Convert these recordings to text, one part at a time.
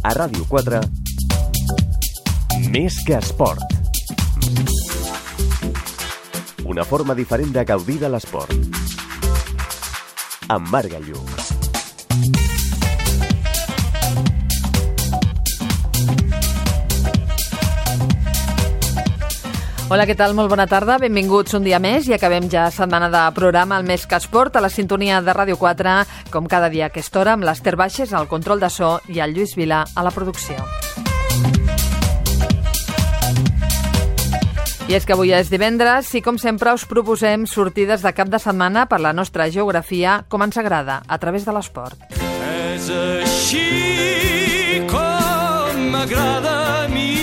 A Ràdio 4, Més que esport. Una forma diferent de gaudir de l'esport. Amb Marc Gallug. Hola, què tal? Molt bona tarda. Benvinguts un dia més i acabem ja setmana de programa al Més que Esport a la sintonia de Ràdio 4, com cada dia a aquesta hora, amb l'Ester Baixes al control de so i el Lluís Vila a la producció. I és que avui és divendres i, com sempre, us proposem sortides de cap de setmana per la nostra geografia, com ens agrada, a través de l'esport. És així com m'agrada a mi.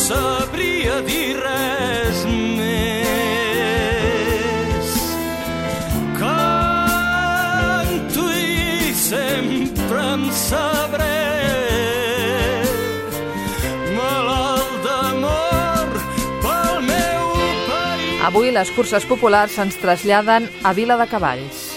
Sabria dir res més. Canto i sempre em sabré malalt d'amor pel meu país. Avui les curses populars ens traslladen a Viladecavalls.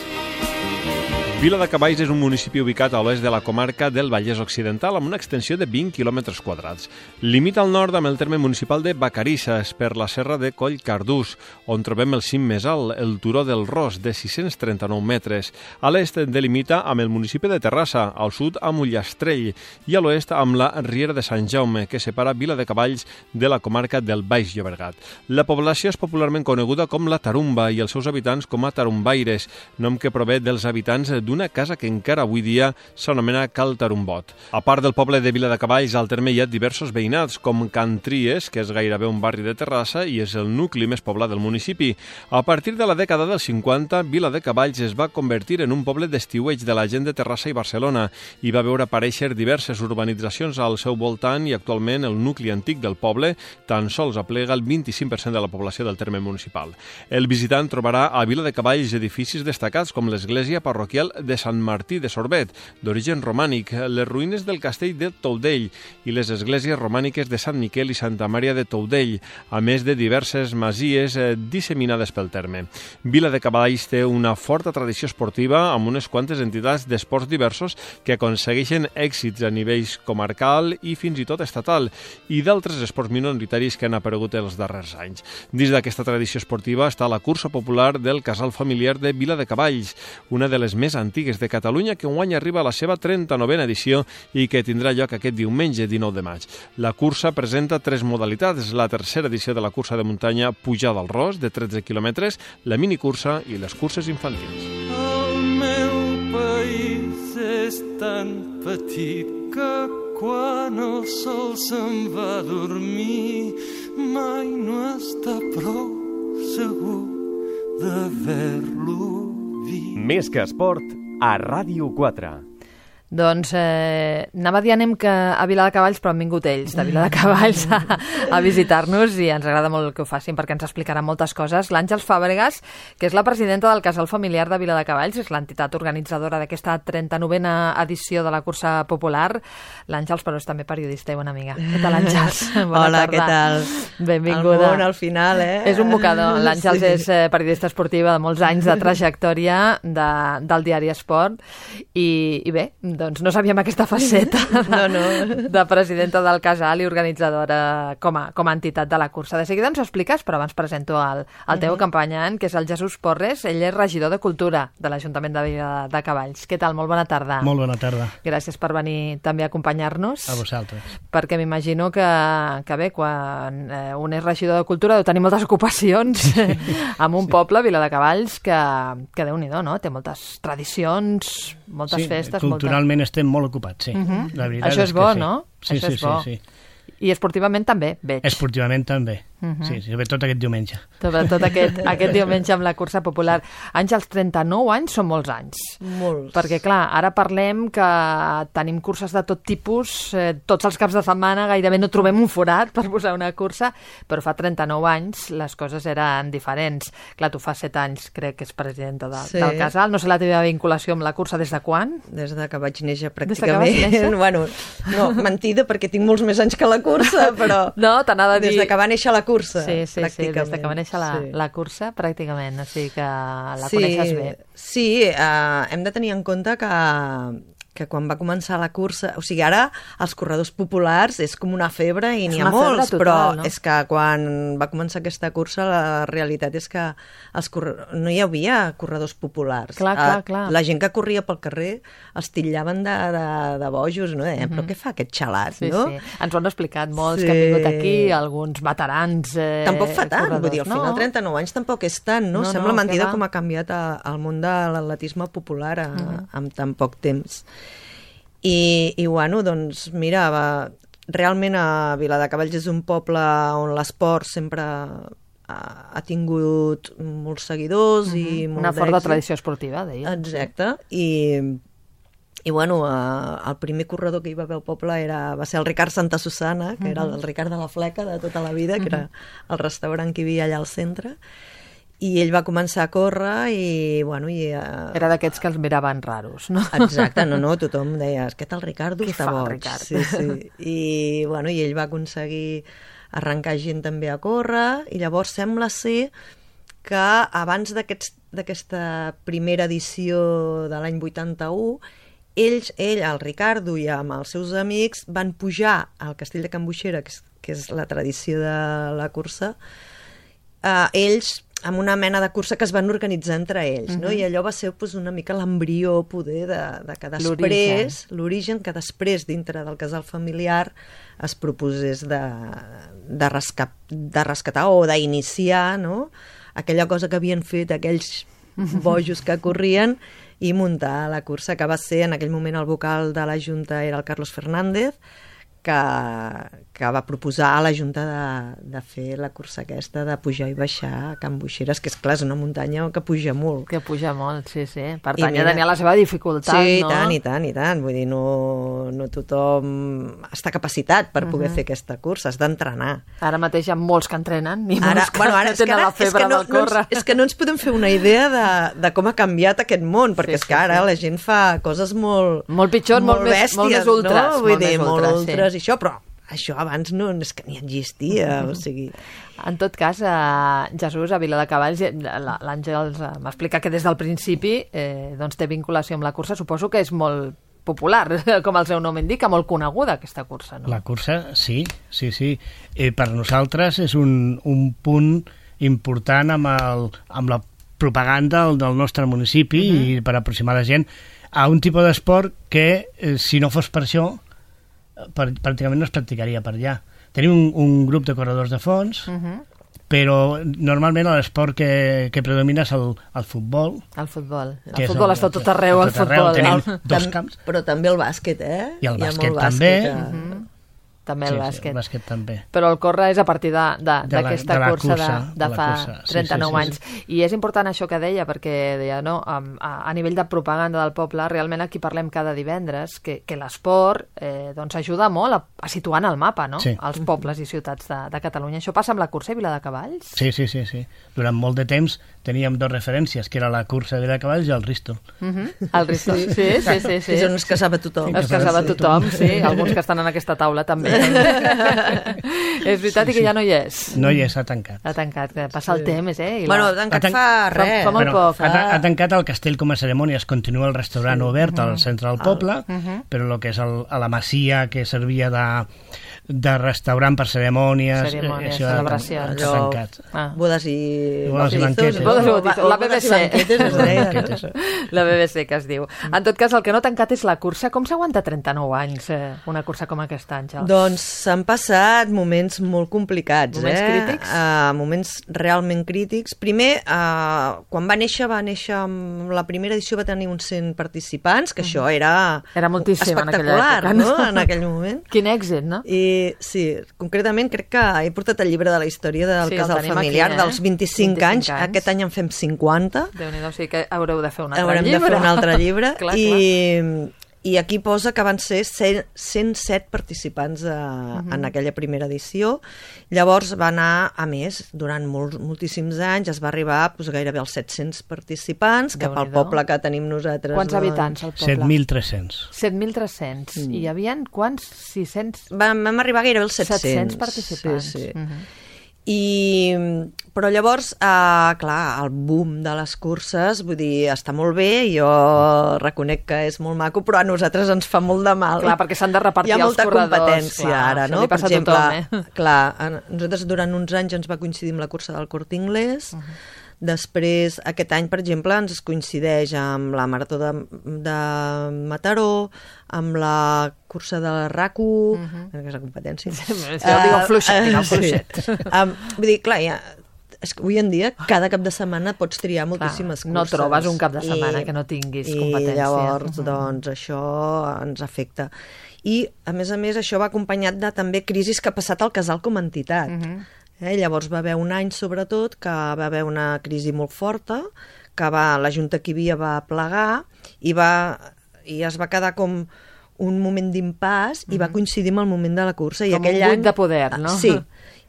Viladecavalls és un municipi ubicat a l'oest de la comarca del Vallès Occidental amb una extensió de 20 quilòmetres quadrats. Limita al nord amb el terme municipal de Vacarisses per la serra de Collcardús, on trobem el cim més alt, el Turó del Ros, de 639 metres. A l'est delimita amb el municipi de Terrassa, al sud amb Ullastrell i a l'oest amb la Riera de Sant Jaume, que separa Viladecavalls de la comarca del Baix Llobregat. La població és popularment coneguda com la Tarumba i els seus habitants com a tarumbaires, nom que prové dels habitants d'una casa que encara avui dia s'anomena Cal Tarumbot. A part del poble de Viladecavalls, al terme hi ha diversos veïnats, com Can Tries, que és gairebé un barri de Terrassa i és el nucli més poblat del municipi. A partir de la dècada dels 50, Viladecavalls es va convertir en un poble d'estiueig de la gent de Terrassa i Barcelona i va veure aparèixer diverses urbanitzacions al seu voltant i actualment el nucli antic del poble tan sols aplega el 25% de la població del terme municipal. El visitant trobarà a Viladecavalls edificis destacats com l'església parroquial de Sant Martí de Sorbet, d'origen romànic, les ruïnes del castell de Toudell i les esglésies romàniques de Sant Miquel i Santa Maria de Toudell, a més de diverses masies disseminades pel terme. Viladecavalls té una forta tradició esportiva amb unes quantes entitats d'esports diversos que aconsegueixen èxits a nivells comarcal i fins i tot estatal i d'altres esports minoritaris que han aparegut els darrers anys. Dins d'aquesta tradició esportiva està la cursa popular del casal familiar de Viladecavalls, una de les més antigues de Catalunya, que enguany arriba a la seva 39a edició i que tindrà lloc aquest diumenge 19 de maig. La cursa presenta 3 modalitats: la tercera edició de la cursa de muntanya Pujada al Ros, de 13 quilòmetres, la minicursa i les curses infantils. El meu país és tan petit que quan el sol se'n va a dormir mai no està prou segur d'haver-lo vist. Més que esport, a Ràdio 4. Doncs anava a dir anem a Viladecavalls, però han vingut ells de Viladecavalls a visitar-nos i ens agrada molt que ho facin perquè ens explicaran moltes coses. L'Àngels Fàbregas, que és la presidenta del Casal Familiar de Viladecavalls, és l'entitat organitzadora d'aquesta 39a edició de la cursa popular. L'Àngels, però és també periodista i bona amiga. Què tal, Àngels? Hola, què tal? Benvinguda. El món al final, És un mocador. L'Àngels és periodista esportiva de molts anys de trajectòria del diari Esport i bé, doncs no sabíem aquesta faceta de presidenta del casal i organitzadora com a entitat de la cursa. De seguida ens ho expliques, però abans presento el teu acompanyant, que és el Jesús Porres. Ell és regidor de Cultura de l'Ajuntament de Viladecavalls. Què tal? Molt bona tarda. Molt bona tarda. Gràcies per venir també a acompanyar-nos. A vosaltres. Perquè m'imagino que bé, quan un és regidor de Cultura deu tenir moltes ocupacions en un poble, Viladecavalls, que Déu-n'hi-do, no? Té moltes tradicions, moltes festes. Culturalment estem molt ocupats, sí. La veritat això és bo, sí. no? Sí, això és bo. Sí. I esportivament també, veig. Esportivament també. Sí, sobretot aquest diumenge. Sobretot aquest diumenge amb la cursa popular. Àngels, 39 anys són molts anys. Molts. Perquè, clar, ara parlem que tenim curses de tot tipus, tots els caps de setmana gairebé no trobem un forat per posar una cursa, però fa 39 anys les coses eren diferents. Clar, tu fa 7 anys crec que és presidenta del casal. No sé la teva vinculació amb la cursa des de quan? Des de que vaig néixer, pràcticament. Des de que vas néixer? Bueno, no, mentida, perquè tinc molts més anys que la cursa, però... No, t'anava a dir... Des de que va néixer la cursa, Sí, pràcticament. des que va néixer Sí. la cursa, pràcticament, o sigui que la coneixes bé. Sí, hem de tenir en compte que quan va començar la cursa... O sigui, ara els corredors populars és com una febre i n'hi ha una febre molts, total, però no? és que quan va començar aquesta cursa la realitat és que no hi havia corredors populars. Clar. La gent que corria pel carrer els titllaven de bojos, no? Deien, però què fa aquest xalat, Sí, no? sí. Ens ho han explicat molts Sí. que han vingut aquí, alguns veterans Tampoc fa tant, corredors. vull dir, al final 39 anys tampoc és tant, no? No, Sembla no, mentida què va? com ha canviat el món de l'atletisme popular en tan poc temps. I bueno, doncs mira, realment a Viladecavalls és un poble on l'esport sempre ha tingut molts seguidors i molt Una forta d'èxit. tradició esportiva, deia. Exacte, i bueno, el primer corredor que hi va haver al poble va ser el Ricard Santa Susana, que era el Ricard de la Fleca de tota la vida, que era el restaurant que hi havia allà al centre, i ell va començar a córrer i, bueno... Era d'aquests que els miraven raros, no? Exacte, no, tothom deia, és que el Ricardo Què està fa el boig. Ricard? Sí. I, bueno, i ell va aconseguir arrencar gent també a córrer, i llavors sembla ser que abans d'aquesta primera edició de l'any 81, ell, el Ricardo i amb els seus amics van pujar al Castell de Can Buixera, que és la tradició de la cursa, ells amb una mena de cursa que es van organitzar entre ells, no? I allò va ser doncs, una mica l'embrió poder de que després, l'origen que després dintre del casal familiar es proposés de rescatar o d'iniciar, no? Aquella cosa que havien fet aquells bojos que corrien i muntar la cursa, que va ser en aquell moment el vocal de la Junta era el Carlos Fernández, que va proposar a la Junta de fer la cursa aquesta de pujar i baixar a Can Buixeres, que és clar, és una muntanya que puja molt. Que puja molt, sí. Per tant, mira, ja tenia la seva dificultat, sí, no? I tant. Vull dir, no tothom està capacitat per poder fer aquesta cursa, has d'entrenar. Ara mateix hi ha molts que entrenen i molts que ara tenen la febre del córrer. És que no ens podem fer una idea de com ha canviat aquest món, perquè és que ara la gent fa coses molt pitjors, molt bèsties, més ultres. No? Vull dir, molt sí. ultres i això, però això abans no és que ni existia, o sigui... En tot cas, Jesús, a Viladecavalls, l'Àngels m'explica que des del principi doncs té vinculació amb la cursa. Suposo que és molt popular, com el seu nom indica, molt coneguda aquesta cursa, no? La cursa, sí. Per nosaltres és un punt important amb la propaganda del nostre municipi i per aproximar la gent a un tipus d'esport que, si no fos per això, pràcticament no es practicaria per allà. Tenim un grup de corredors de fons, però normalment l'esport que predomina és el futbol. El futbol. Que El futbol està tot arreu, el futbol. Tenim dos camps. Però també el bàsquet, I el bàsquet també. també el bàsquet. El bàsquet també. Però el córrer és a partir d'aquesta cursa de fa 39 anys. I és important això que deia, perquè deia, no, a nivell de propaganda del poble, realment aquí parlem cada divendres que l'esport doncs ajuda molt a situar en el mapa, no? Els pobles i ciutats de Catalunya. Això passa amb la cursa de Viladecavalls? Sí. Durant molt de temps teníem dos referències, que era la cursa de Viladecavalls i el Risto. El Risto, sí. És on es casava tothom. Es casava tothom, sí. Alguns que estan en aquesta taula també. És veritat i que ja no hi és. No hi és, ha tancat. Ha tancat, que passa el temps, Bueno, ha tancat fa res. Fa molt poc. Ha tancat el castell com a cerimònies, continua el restaurant obert al centre del poble, però el que és a la masia que servia de restaurant per cerimònies, celebracions. Ha tancat. Bodes i banquetes. La BBC. La BBC, que es diu. En tot cas, el que no ha tancat és la cursa. Com s'aguanta 39 anys una cursa com aquesta, Àngels? Doncs s'han passat moments molt complicats. Moments crítics? Moments realment crítics. Primer, quan va néixer amb la primera edició va tenir uns 100 participants, que això era moltíssim en aquella època, no? En aquell moment. Quin èxit, no? I sí, concretament crec que he portat el llibre de la història del casal familiar dels 25 anys. Aquest any en fem 50. Déu-n'hi-do, sí que haureu de fer un altre Haurem llibre. de fer un altre llibre. Clar. I aquí posa que van ser 107 participants en aquella primera edició. Llavors va anar a més, durant moltíssims anys, es va arribar gairebé als 700 participants, que pel poble que tenim nosaltres... Quants habitants al poble? 7.300. 7.300. I hi havia quants? 600? Vam arribar gairebé als 700. 700 participants. Sí. Però llavors, clar, el boom de les curses, vull dir, està molt bé, jo reconec que és molt maco, però a nosaltres ens fa molt de mal. Clar, perquè s'han de repartir els corredors. Hi ha molta competència clar, ara, no? Per exemple, tothom, clar, nosaltres durant uns anys ens va coincidir amb la cursa del Corte Inglés, després, aquest any, per exemple, ens coincideix amb la Marató de Mataró, amb la cursa de la RAC1, que és la competència. Digue fluixet. Vull dir, clar, és que avui en dia, cada cap de setmana pots triar moltíssimes curses. No trobes un cap de setmana que no tinguis competència. I llavors, doncs, això ens afecta. I, a més, això va acompanyat de també crisis que ha passat al casal com a entitat. Llavors va haver un any, sobretot, que va haver una crisi molt forta, que la Junta que hi havia va plegar i es va quedar com un moment d'impàs i va coincidir amb el moment de la cursa. Com un buit de poder, no? Sí,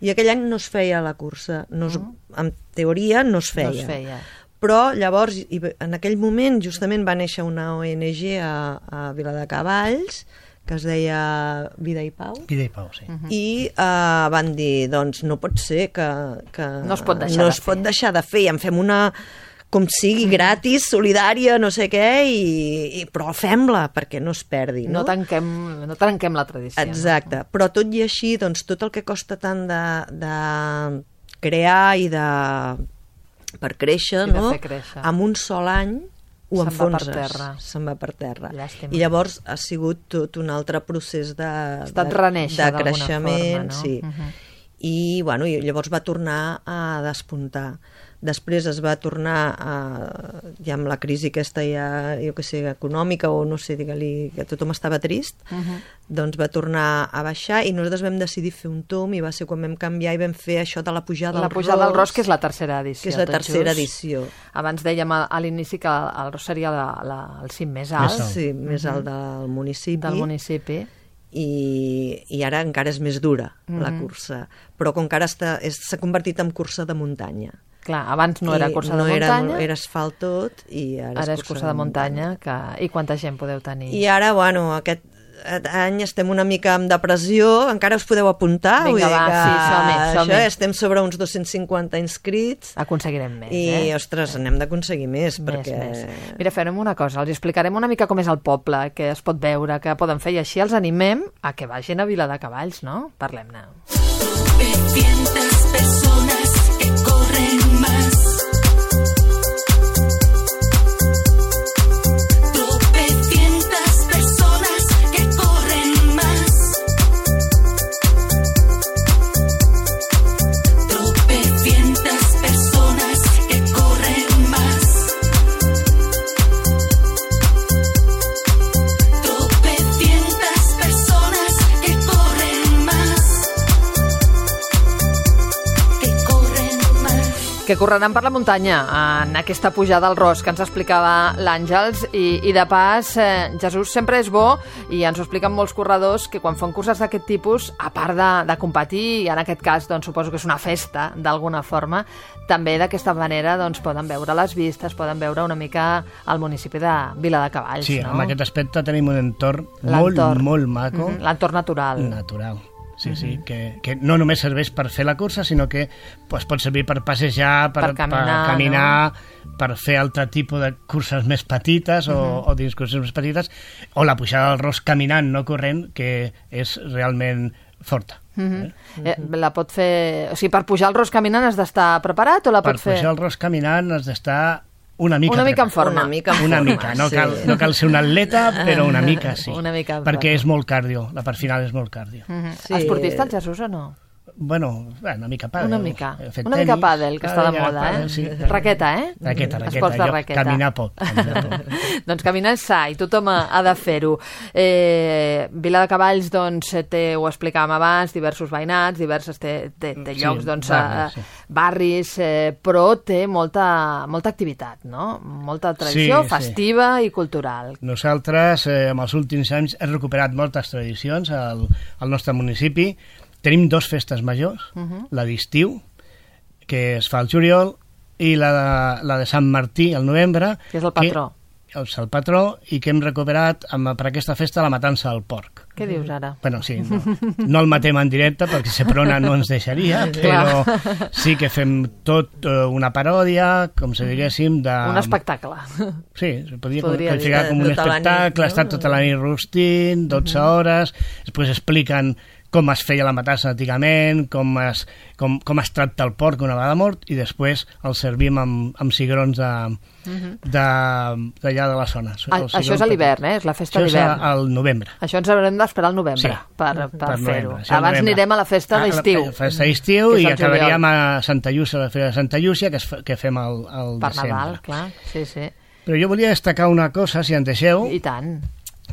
i aquell any no es feia la cursa. En teoria no es feia. Però llavors, en aquell moment, justament va néixer una ONG a Viladecavalls, que es deia Vida i Pau. Vida i Pau, sí. I van dir, doncs no pot ser que no es pot deixar de fer, i en fem una, com sigui, gratis, solidària, no sé què, però fem-la perquè no es perdi. No trenquem la tradició. Exacte, però tot i així, doncs tot el que costa tant de crear i per créixer, no? En un sol any ho enfonses, se'n va per terra. Llàstima. I llavors ha sigut tot un altre procés de forma, creixement, no? Sí. I llavors va tornar a despuntar. Després es va tornar ja amb la crisi aquesta jo que sé, econòmica, o no sé, digue-li, que tothom estava trist, doncs va tornar a baixar i nosaltres vam decidir fer un tomb i va ser quan vam canviar i vam fer això de la pujada del Ros. La pujada del Ros, que és la tercera edició. Que és la tercera edició. Abans dèiem a l'inici que el Ros seria el cim més alt. Sí, més alt del municipi. Del municipi. I ara encara és més dura la cursa, però com que ara s'ha convertit en cursa de muntanya. Clar, abans no era cursa de muntanya. Era asfalt tot i ara és cursa de muntanya. I quanta gent podeu tenir? I ara, aquest any estem una mica en depressió, encara us podeu apuntar. Vinga, som-hi. Estem sobre uns 250 inscrits. Aconseguirem més, I, ostres, n'hem d'aconseguir més. Perquè... Mira, farem una cosa, els explicarem una mica com és el poble, què es pot veure, què poden fer, i així els animem a que vagin a Viladecavalls, no? Parlem-ne. 300 persones que corren más. Que correran per la muntanya en aquesta pujada al Ros que ens explicava l'Àngels i de pas, Jesús, sempre és bo, i ens ho expliquen molts corredors, que quan fan curses d'aquest tipus, a part de competir, i en aquest cas doncs, suposo que és una festa d'alguna forma, també d'aquesta manera doncs, poden veure les vistes, poden veure una mica el municipi de Viladecavalls. Sí, no? En aquest aspecte tenim un entorn molt maco. L'entorn natural. Natural. Sí, que no només serveix per fer la cursa, sinó que pot servir per passejar, per caminar, no? Per fer altre tipus de curses més petites o d'excursions més petites, o la pujada del Ros caminant, no corrent, que és realment forta. La pot fer... O sigui, per pujar el Ros caminant has d'estar preparat o la pot fer... Per pujar el Ros caminant has d'estar una mica en forma. Una mica, no cal ser un atleta, però una mica sí. Una mica perquè és molt cardio, la part final és molt cardio. Esportista el Jesús o no? Bueno, una mica pàdel. Una mica pàdel, que està de moda, sí. Raqueta, Raqueta. Esports de raqueta. Caminar poc. Doncs caminar és sa, i tothom ha de fer-ho. Viladecavalls, doncs, ho explicàvem abans, diversos veïnats, té llocs, doncs, barris, però té molta activitat, no? Molta tradició festiva i cultural. Nosaltres, en els últims anys, hem recuperat moltes tradicions al nostre municipi. Tenim 2 festes majors, la d'estiu, que es fa al juliol, i la de Sant Martí, al novembre. Que és el patró. el patró, i que hem recuperat per aquesta festa la matança del porc. Què dius ara? Bueno, sí, no el matem en directe perquè Seprona no ens deixaria, però sí que fem tot una paròdia, com si diguéssim, de... Un espectacle. Sí, es podria Podria qualificar dir. com un Tota la nit, espectacle, no? està tota la nit rostint, 12 hores, després expliquen com es feia la matança antigament, com es tracta el porc una vegada mort, i després el servim amb cigrons d'allà de la zona. Això és a l'hivern, és la festa d'hivern. Això és al novembre. Això ens haurem d'esperar al novembre per fer-ho. novembre. Això Abans novembre. anirem a la festa d'estiu. La festa d'estiu, que és i al acabaríem juliol. a Santa Llúcia, a la Fira de Santa Llúcia, que fem al Per desembre. Nadal, clar. Sí, sí. Però jo volia destacar una cosa, si en deixeu, I tant.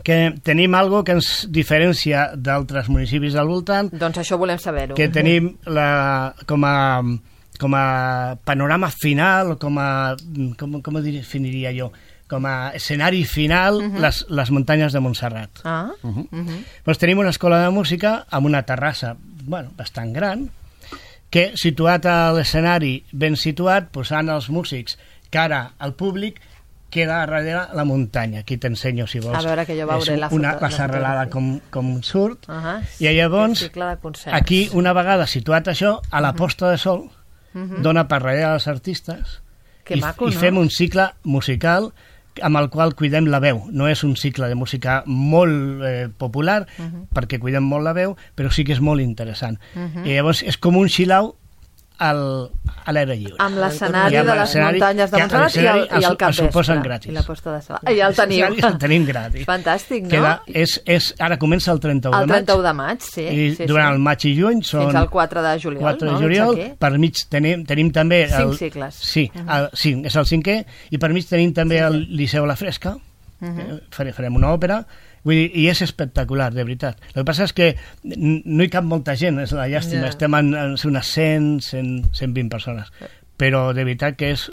que tenim algo que ens diferencia d'altres municipis del voltant, Doncs això volem saber-ho. que tenim com a panorama final, com ho definiria jo, com a escenari final, les muntanyes de Montserrat. Ah, Doncs tenim una escola de música amb una terrassa bastant gran, que situat a l'escenari ben situat, posant els músics cara al públic, queda darrere la muntanya. Aquí t'ensenyo, si vols. A veure, que jo veuré la foto. La serralada com surt. ah, I llavors, cicle de concerts. aquí, una vegada situat això, a la posta de sol, dona per darrere als artistes, Que maco, i no? fem un cicle musical amb el qual cuidem la veu. No és un cicle de música molt popular, perquè cuidem molt la veu, però sí que és molt interessant. I llavors és com un xilau a l'aire lliure. Amb l'escenari I amb de les l'escenari, muntanyes de que Montserrat i el el capvespre. suposen gratis. I la posta de sol. Ja el teniu. El tenim gratis. Fantàstic, no? Ara comença el 31 El de maig. 31 de maig, sí. I sí, durant sí. el maig i juny són... Fins al 4 de juliol, 4 de no? juliol, Veig aquí. per mig tenim també... 5 cicles. Sí, sí, és el 5è, i per mig tenim també el Liceu La Fresca, farem una òpera, vull dir, i és espectacular, de veritat. El que passa és que no hi cap molta gent, és la llàstima, estem en unes 120 persones, però de veritat que és...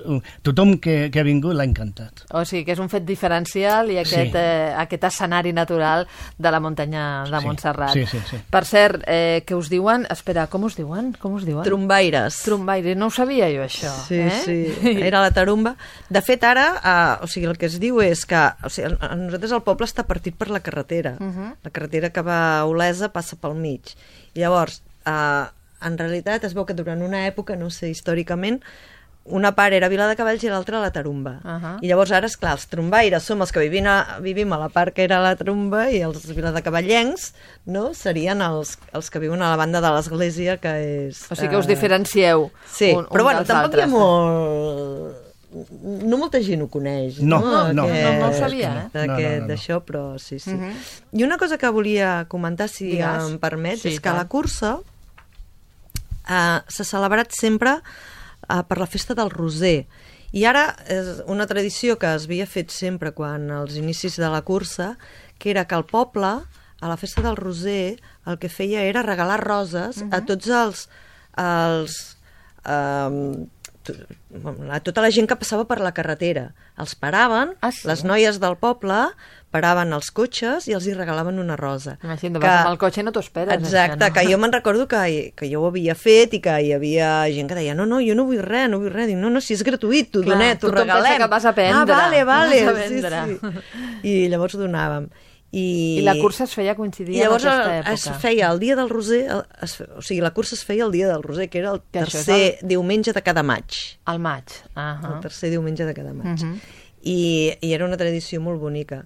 Tothom que ha vingut l'ha encantat. O sigui, que és un fet diferencial i aquest, Sí. aquest escenari natural de la muntanya de Sí, Montserrat. sí. Per cert, què us diuen? Espera, com us diuen? Trombaires. Trombaire, no ho sabia jo, això. Sí, sí, era la tarumba. De fet, ara, o sigui, el que es diu és que a nosaltres el poble està partit per la carretera. La carretera que va a Olesa passa pel mig. I llavors, en realitat, es veu que durant una època, no sé, històricament, una part era Vila de Cavalls i l'altra la Tarumba. I llavors ara, esclar, els trombaires som els que vivim a la part que era la Tarumba, i els viladecavallencs, no?, serien els que viuen a la banda de l'església, que és... O sigui que us diferencieu. Sí, un però bueno, dels tampoc hi ha altres. molt... No molta gent ho coneix. No ho sabia, D'això, però sí. I una cosa que volia comentar, si Digues. em permets, Sí, és que tant. la cursa s'ha celebrat sempre per la festa del Roser. I ara és una tradició que es havia fet sempre quan als inicis de la cursa, que era que el poble, a la festa del Roser, el que feia era regalar roses a tots a tota la gent que passava per la carretera. Els paraven, Sí? les noies del poble paraven els cotxes i els hi regalaven una rosa. Imagina't, vas amb el cotxe i no t'ho esperes. Exacte, això, no? que jo me'n recordo que jo ho havia fet i que hi havia gent que deia no, jo no vull res. Dic, no, si és gratuït, t'ho Clar, donem, t'ho tothom regalem. pensa que vas a prendre. Vale, Vas a vendre. Sí. I llavors ho donàvem. I la cursa es feia coincidir I llavors amb aquesta època. es feia el dia del Roser, o sigui, la cursa es feia el dia del Roser, que era el Que això és tercer diumenge de cada maig. Al maig. El tercer diumenge de cada maig. I era una tradició molt bonica,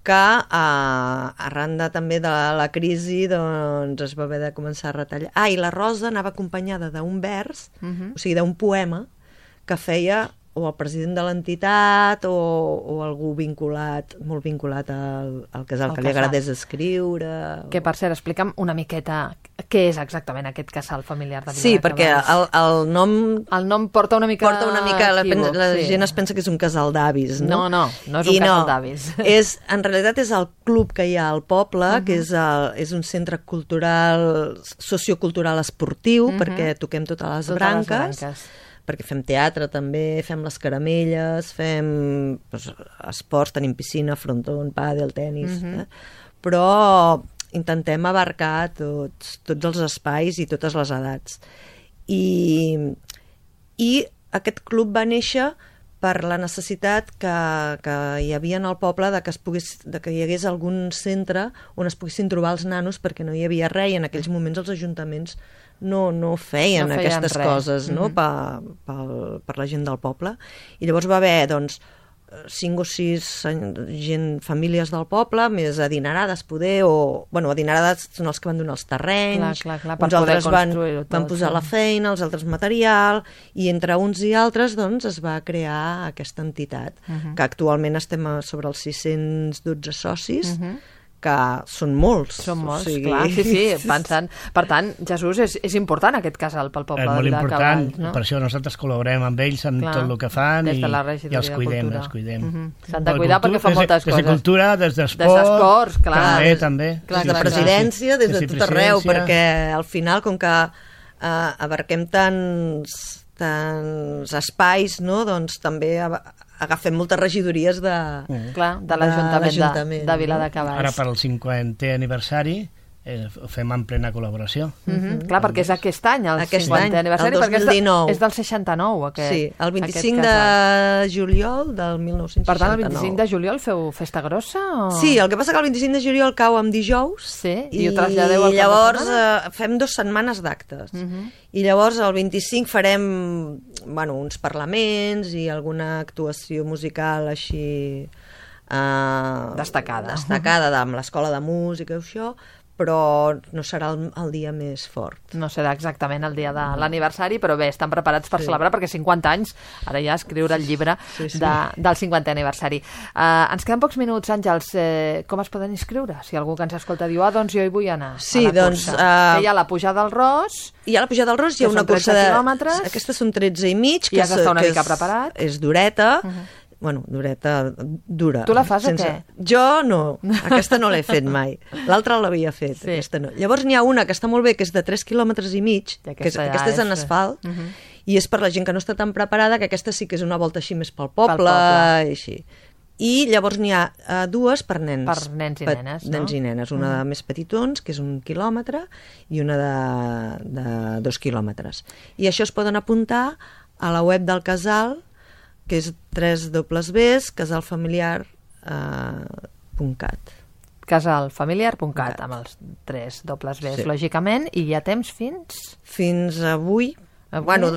que arran també de la crisi doncs es va haver de començar a retallar. I la rosa anava acompanyada d'un vers, o sigui, d'un poema que feia o el president de l'entitat o algú molt vinculat al casal, que li agradés escriure. Que, per cert, explica'm una miqueta què és exactament aquest casal familiar de Vila Sí, de perquè Cavalls. el nom El nom porta una mica equívoc, la sí. gent es pensa que és un casal d'avis, no? No és un casal d'avis. En realitat és el club que hi ha al poble, que és un centre cultural, sociocultural esportiu, perquè toquem totes les branques, perquè fem teatre també, fem les caramelles, fem esports, tenim piscina, frontó, pàdel, tenis, però intentem abarcar tots els espais i totes les edats. I aquest club va néixer per la necessitat que hi havia en el poble de que hi hagués algun centre on es poguessin trobar els nanos, perquè no hi havia res, i en aquells moments els ajuntaments no feien aquestes coses, no? Per la gent del poble. I llavors va haver, doncs, 5 o 6 famílies del poble, més adinerades poder, adinerades són els que van donar els terrenys, uns altres van posar la feina, els altres material, i entre uns i altres doncs es va crear aquesta entitat, que actualment estem sobre els 612 socis, que són molts. Són molts, clar, sí, pensant. Per tant, Jesús, és important aquest casal pel poble de Cavalls, no? És molt important, per això nosaltres col·laborem amb ells en tot el que fan i els cuidem. S'han de cuidar perquè fan moltes coses. Des de cultura, des d'esports, també. Des de presidència, des de tot arreu, perquè al final, com que abarquem tants espais, no? Doncs també agafem moltes regidories de l'Ajuntament de Viladecavalls. Ara per al 50è aniversari ho fem en plena col·laboració. Clar, perquè és aquest any, el 50è aniversari, perquè és del 69. Sí, el 25 de juliol del 1969. Per tant, el 25 de juliol feu festa grossa? Sí, el que passa que el 25 de juliol cau amb dijous, i ho traslladeu al cap de setmana? I llavors fem 2 setmanes d'actes. I llavors el 25 farem uns parlaments i alguna actuació musical així destacada amb l'escola de música i això, però no serà el dia més fort. No serà exactament el dia de l'aniversari, però bé, estan preparats per celebrar, perquè 50 anys, ara ja escriure el llibre del 50è aniversari. Ens queden pocs minuts, Àngels. Com es poden inscriure? Si algú que ens escolta diu, doncs jo hi vull anar a la cursa. Hi ha la pujada al Ros. Hi ha la pujada al Ros, hi ha una cursa de quilòmetres. Aquestes són 13 i mig. I has d'estar una mica preparat. És dureta. Dureta, dura. Tu la fas o què? Jo no, aquesta no l'he fet mai. L'altra l'havia fet, aquesta no. Llavors n'hi ha una que està molt bé, que és de 3 quilòmetres i mig, que aquesta és en asfalt, i és per la gent que no està tan preparada, que aquesta sí que és una volta així més pel poble, i així. I llavors n'hi ha 2 per nens. Per nens i nenes, no? Nens i nenes, una de més petitons, que és 1 quilòmetre, i una de 2 quilòmetres. I això es poden apuntar a la web del casal, que és www.casalfamiliar.cat. Casalfamiliar.cat, amb els 3 dobles Bs, lògicament, i hi ha temps fins? Fins avui.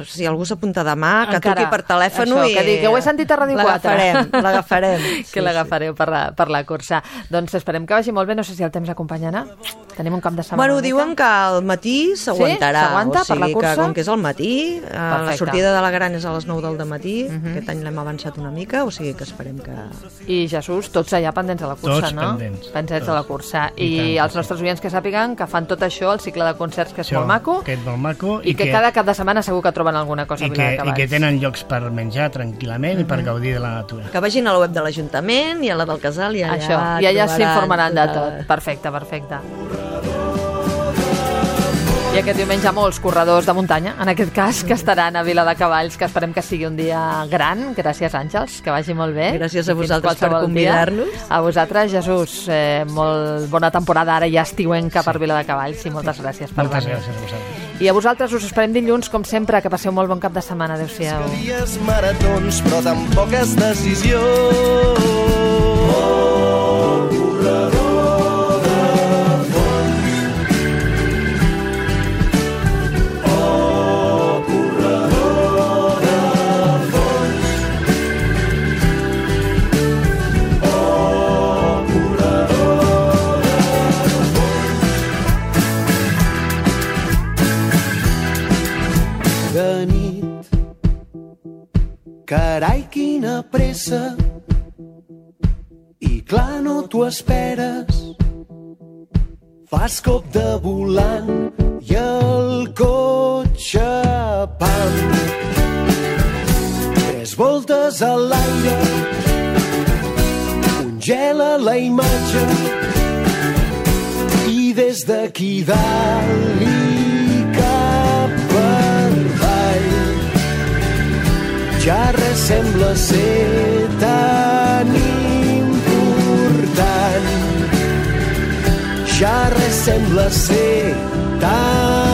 Si algú s'apunta demà, que truqui per telèfon i... Que ho he sentit a Ràdio 4. L'agafarem. Que l'agafareu per la cursa. Doncs esperem que vagi molt bé, no sé si el temps acompanyarà. Tenim un cap de setmana. Diuen que al matí s'aguantarà. Sí? S'aguanta per la cursa? Com que és al matí, la sortida de la Gran és a les 9 del dematí, aquest any l'hem avançat una mica, o sigui que esperem que... I Jesús, tots allà pendents de la cursa, no? Tots pendents de la cursa. I els nostres oients que sàpiguen que fan tot això, el cicle de concerts, que és molt maco, i que cada cap de setmana segur que troben alguna cosa a Viladecavalls. I que tenen llocs per menjar tranquil·lament i per gaudir de la natura. Que vagin a la web de l'Ajuntament i a la del casal i allà s'informaran de tot. Perfecte. I aquest diumenge molts corredors de muntanya, en aquest cas, que estaran a Viladecavalls, que esperem que sigui un dia gran. Gràcies, Àngels, que vagi molt bé. Gràcies a vosaltres per convidar-nos. A vosaltres, Jesús, molt bona temporada ara ja estiuenca per Viladecavalls, i moltes gràcies per venir. Moltes gràcies a vosaltres. I a vosaltres us esperem dilluns, com sempre, que passeu molt bon cap de setmana. Adéu-siau. Dies maratons, però tan poques decisions. Corredor de fons. Corredor de fons. Corredor de fons. De nit, carai, quina pressa, i clar, no t'ho esperes. Fas cop de volant i el cotxe, pam. 3 voltes a l'aire, congela la imatge, i des d'aquí dalt i cap per avall ja res sembla ser tan important. Ja res sembla ser tan